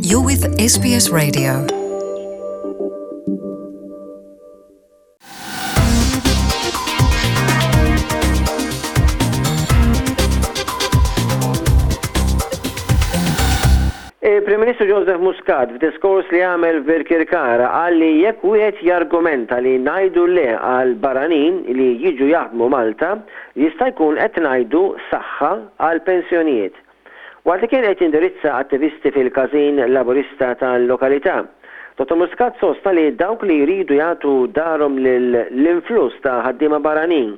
You're with SBS Radio. Il-Prim Ministru Joseph Muscat f'diskors li għamel f'Birkirkara qal li jekk wieħed jargumenta li ngħidu le għal barranin li jiġu jaħdmu Malta, jista' jkun qed ngħidu saħħa għall-pensjonijiet. Waqt li kien qed jindirizza attivisti fil-każin Laburista tal-lokalità, Dottor Muscat sostna li dawk li jridu jagħtu darhom lill-influss ta' ħaddiema barranin,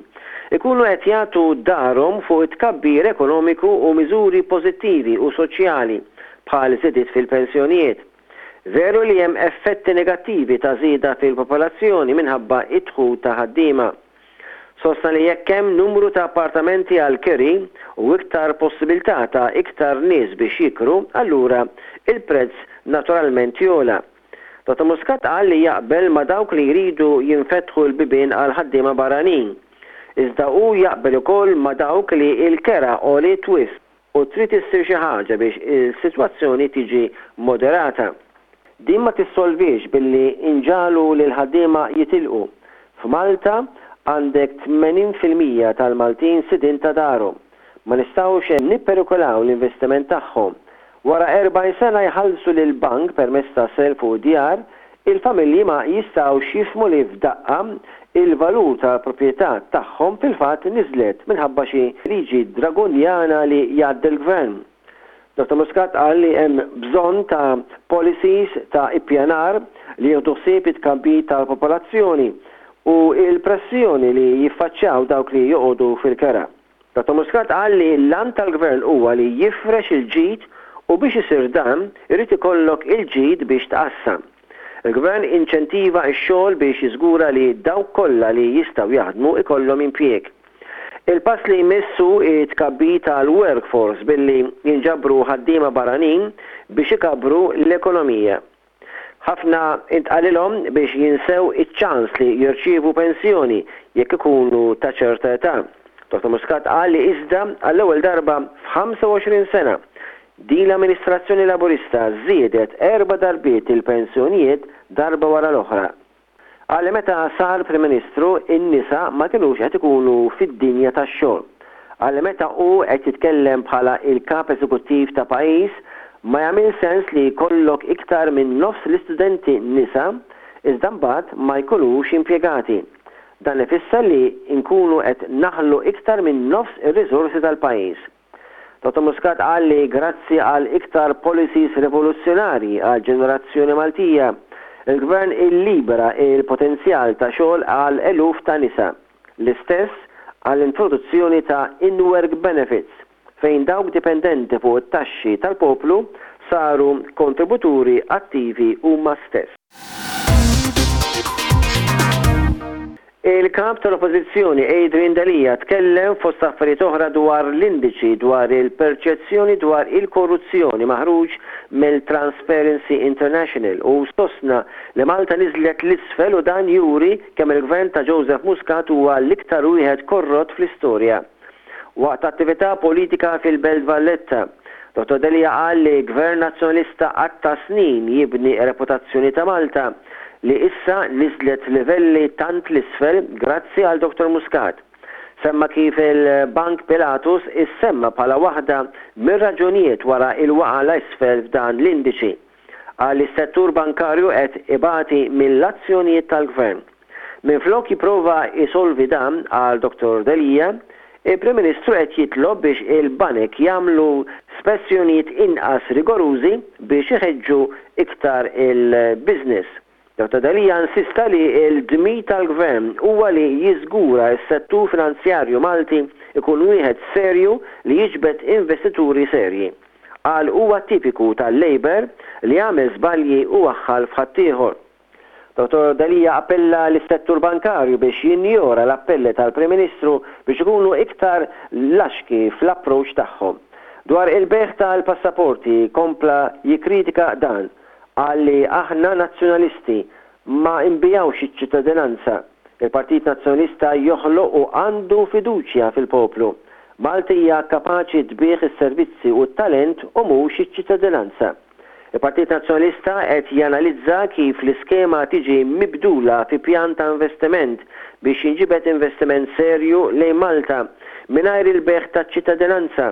ikunu qed jagħtu darhom fuq it-tkabbir ekonomiku u miżuri pożittivi u soċjali bħal żidiet fil-pensjonijiet. Veru li hemm effetti negattivi ta' żieda fil-popolazzjoni minħabba d-dħul ta' ħaddiema. Sostna li jekk hemm numru ta' appartamenti għall-kiri u iktar possibilità ta' iktar nies biex jikru, allura il-prezz naturalment jogħla. Dottor Muscat qal li jaqbel ma' dawk li jridu jinfetħu l-bibien għal ħaddiema barranin. Iżda hu jaqbel ukoll ma' dawk li l-kera għoliet wisq. U trid issir xi ħaġa biex is-sitwazzjoni tiġi moderata. Din ma tissolviex billi nġagħlu lill-ħaddiema jitilqu. F'Malta għandek 80% tal-Maltin sidien ta' darhom. Ma nistgħux nipperikolaw l-investiment tagħhom. Wara 40 sena jħallsu lill-bank permezz ta' self fuq id-djar, il-familji ma jistgħux jifhmu li f'daqqa il-valur tal-proprjetà tagħhom fil-fatt niżlet minħabba xi liġi dragunjana li jgħaddi l-Gvern. Dottor Muscat qal li hemm bżonn ta' policies ta' ippjanar li jieħdu ħsieb it-tkabbir tal-popolazzjoni u l-pressjoni li jiffaċċjaw dawk li joqogħdu fil-kera. Dottor Muscat qal li l-għan tal-Gvern huwa li jifrex il-ġid u biex isir dan irid ikollok il-ġid biex tqassam. Il-Gvern inċentiva x-xogħol biex jiżgura li dawk kollha li jistgħu jaħdmu ikollhom impjieg. Il-pass li jmiss hu t-tkabbir tal-workforce billi jinġabru ħaddiema barranin biex ikabbru l-ekonomija. Ħafna intqalilhom biex jinsew iċ-ċans li jirċievu pensjoni jekk ikunu ta' ċerta età. Dottor Muscat qal li iżda għall-ewwel darba f'25 sena, din l-amministrazzjoni Laburista żiedet erba' darbiet il-pensjonijiet darba wara l-oħra. Qal li meta sar Prim Ministru n-nisa ma kinux qed ikunu fid-dinja tax-xogħol. Qal li meta hu qed jitkellem bħala l-Kap Eżekuttiv ta' pajjiż ma jagħmilx sens li jkollok iktar minn nofs l-istudenti nisa iżda mbagħad ma jkunux impjegati. Dan ifisser li nkunu qed naħlu iktar minn nofs ir-riżorsi tal-pajjiż. Dottor Muscat qal li grazzi għal iktar policies rivoluzzjonarji għall-ġenerazzjoni Maltija, il-Gvern illibera il-potenzjal ta' xogħol għal eluf ta' nisa. L-istess għall-introduzzjoni ta' in-work benefits, fejn dawk dipendenti fuq it-taxxi tal-poplu saru kontributuri attivi huma stess. Il-Kap tal-Oppożizzjoni Adrian Delia tkellem fost affarijiet oħra dwar l-indiċi dwar il-perċezzjoni dwar il-korruzzjoni maħruġ mill-Transparency International u sostna li Malta niżlet 'l isfel u dan juri kemm il-Gvern ta' Joseph Muscat huwa l-iktar wieħed korrott fl-istorja. Waqt attività politika fil-Belt Valletta, Dottor Delia qal li Gvern Nazzjonalista qatta' snin jibni r-reputazzjoni ta' Malta li issa niżlet livelli tant 'l isfel grazzi għal Dottor Muscat. Semma kif il-Bank Pilatus issemma bħala waħda mir-raġunijiet wara l-waqgħa 'l isfel f'dan l-indiċi. Qal li s-settur bankarju qed ibati mill-azzjonijiet tal-Gvern. Minflok jipprova jsolvi dan, qal Dottor Delia, il-Prim Ministru qed jitlob biex il-banek jagħmlu spezzjonijiet inqas rigorużi biex iħeġġu iktar il-business. Dottor Delia insista li l-dmir tal-Gvern huwa li jiżgura s-settur finanzjarju Malti jkun wieħed serju li jiġbed investituri serji. Qal huwa tipiku tal-Labour li jagħmel żbalji u waħħal f'ħaddieħor. Dottor Delia appella lis-settur bankarju biex jinjora l-appelli tal-Prim Ministru biex ikunu iktar laxki fl-approach tagħhom. Dwar il-bejgħ tal-passaporti kompla jikkritika dan. Qal li aħna Nazzjonalisti ma nbigħux iċ-ċittadinanza. Il-Partit Nazzjonalista joħloq u għandu fiduċja fil-poplu. Malta hija kapaċi tbigħ is-servizzi u t-talent u mhux iċ-ċittadinanza. Il-Partit Nazzjonalista qed janalizza kif l-iskema tiġi mibdula fi pjan ta' investiment biex jinġibed investiment serju lejn Malta mingħajr il-bejgħ taċ-ċittadinanza.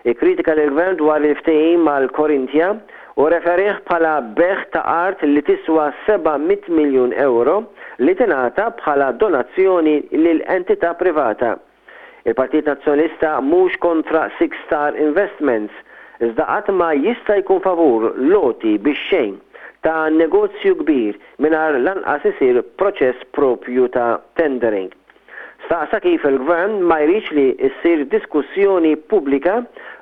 Ikkritika lill-Gvern dwar il-ftehim mal-Corinthia u rreferih bħala bejgħ ta' art li tiswa 700 miljun ewro li tingħata bħala donazzjoni lil entità privata. Il-Partit Nazzjonalista mhux kontra Six Star Investments, iżda qatt ma jista' jkun favur l-għoti bix-xejn ta' negozju kbir mingħajr lanqas isir proċess proprju ta' tendering. Staqsa kif il-Gvern ma jridx li ssir diskussjoni pubblika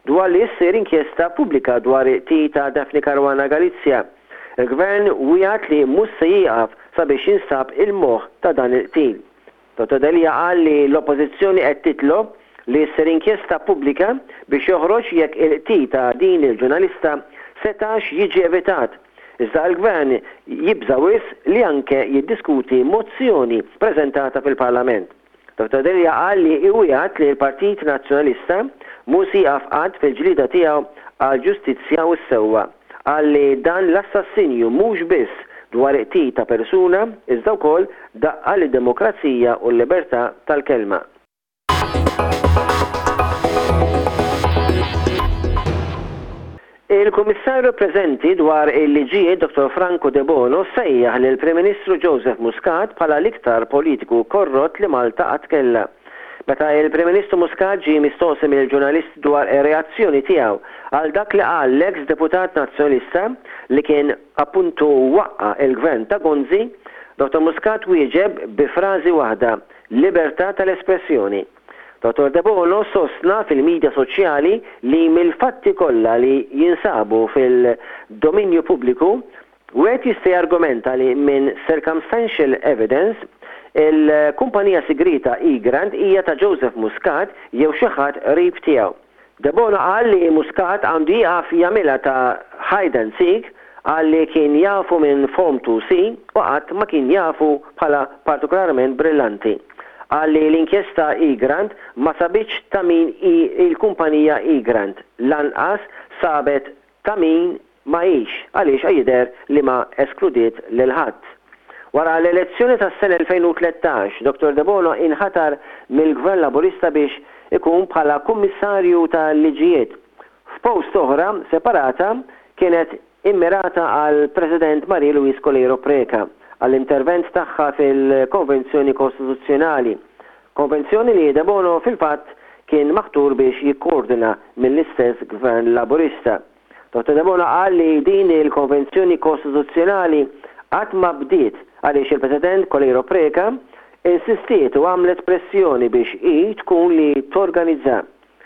dwar li ssir inkjesta pubblika dwar il-qtil ta' Daphne Caruana Galizia. Il-Gvern wiegħed li mhux se jieqaf sabiex jinstab il-moħħ ta' dan il-qtil. Dottor Delia qal li l-Oppożizzjoni qed titlob li ssir inkjesta pubblika biex joħroġ jekk il-qtil ta' din il-ġurnalista setax jiġi evitat, iżda l-Gvern jibża' wisq li anke jiddiskuti mozzjoni preżentata fil-Parlament. Dottor Delia qal li iwiegħed li l-Partit Nazzjonalista mhu se jieqaf qatt fil-ġlieda tiegħu għall-ġustizzja u s-sewwa. Qal li dan l-assassinju mhux biss dwar qtil ta' persuna iżda wkoll daqqa lid-demokrazija u l-libertà tal-kelma. Il-Kummissarju preżenti dwar il-Liġijiet Dottor Franco Debono sejjaħ lill-Prim Ministru Joseph Muscat bħala l-iktar politiku korrott li Malta qatt kellha. Meta il-Prim Ministru Muscat ġie mistoqsi mill-ġurnalisti dwar ir-reazzjoni tiegħu għal dak li qal l-eks deputat Nazzjonalista li kien appuntu waqqa' il-Gvern ta' Gonzi, Dottor Muscat wieġeb bi frażi waħda, libertà tal-espressjoni. Dottor Debono sostna fil-midja soċjali li mill-fatti kollha li jinsabu fil-dominju pubbliku, Wieħed jista' jargumenta li minn circumstantial evidence, il-kumpanija sigrieta Egrant hija ta' Joseph Muscat jew xi ħadd qrib tiegħu. Debono qal li Muscat għandu jieqaf jagħmilha ta' hide and seek, qal li kien jafu minn Form 2C u qatt ma kien jafu bħala partikolarment brillanti. Qal li l-inkjesta Egrant ma sabitx ta' min hi l-kumpanija Egrant, lanqas sabet ta' min ma hix, għaliex jidher li ma eskludiet lil ħadd. Wara l-elezzjoni tas-sena 2013, Dottor Debono inħatar mill-Gvern Laburista biex ikun bħala Kummissarju tal-Liġijiet. F'post oħra separata kienet immirata għall-President Marie Louise Coleiro Preca għall-intervent tagħha fil-Konvenzjoni Kostituzzjonali. Konvenzjoni li Debono fil-fatt kien maħtur biex jikkoordina mill-istess Gvern Laburista. Dottor Debono qal li din il-konvenzjoni kostituzzjonali qatt ma bdiet għaliex il-President Coleiro Preca insistiet u għamlet pressjoni biex hi tkun li torganizza.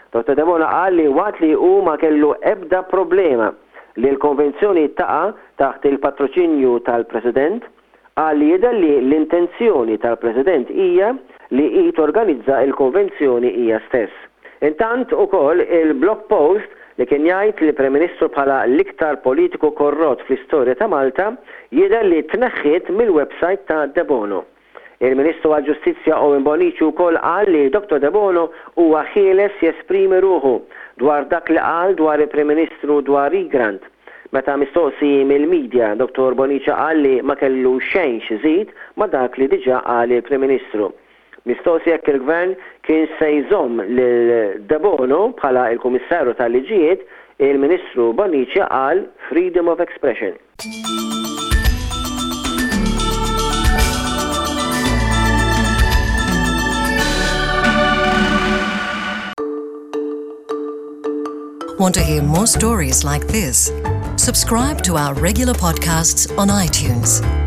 Dottor Debono qal li waqt li hu ma kellu ebda problema li l-konvenzjoni taqa' taħt il-patroċinju tal-President, Qal li jidher li l-intenzjoni tal-President hija li hi torganizza l-konvenzjoni hija stess. Intant ukoll il-blog post li kien jgħid lill-Prim Ministru bħala l-iktar politiku korrott fl-istorja ta' Malta jidher li tneħħiet mill-websajt ta' Debono. Il-Ministru għall-Ġustizzja Owen Bonnici wkoll qal li Dottor Debono huwa ħieles jesprimi ruħu dwar dak li qal dwar il-Prim Ministru dwar Egrant. Meta mistoqsi mill-media, Dottor Bonnici qal li ma kellu xejn x'iżid ma' dak li diġà qal il-Prim Ministru. Mistoqsi jekk il-Gvern kienx se jżomm lil Debono bħala l-Kummissarju tal-Liġijiet, il-Ministru Bonnici qal freedom of expression. Want to hear more stories like this? Subscribe to our regular podcasts on iTunes.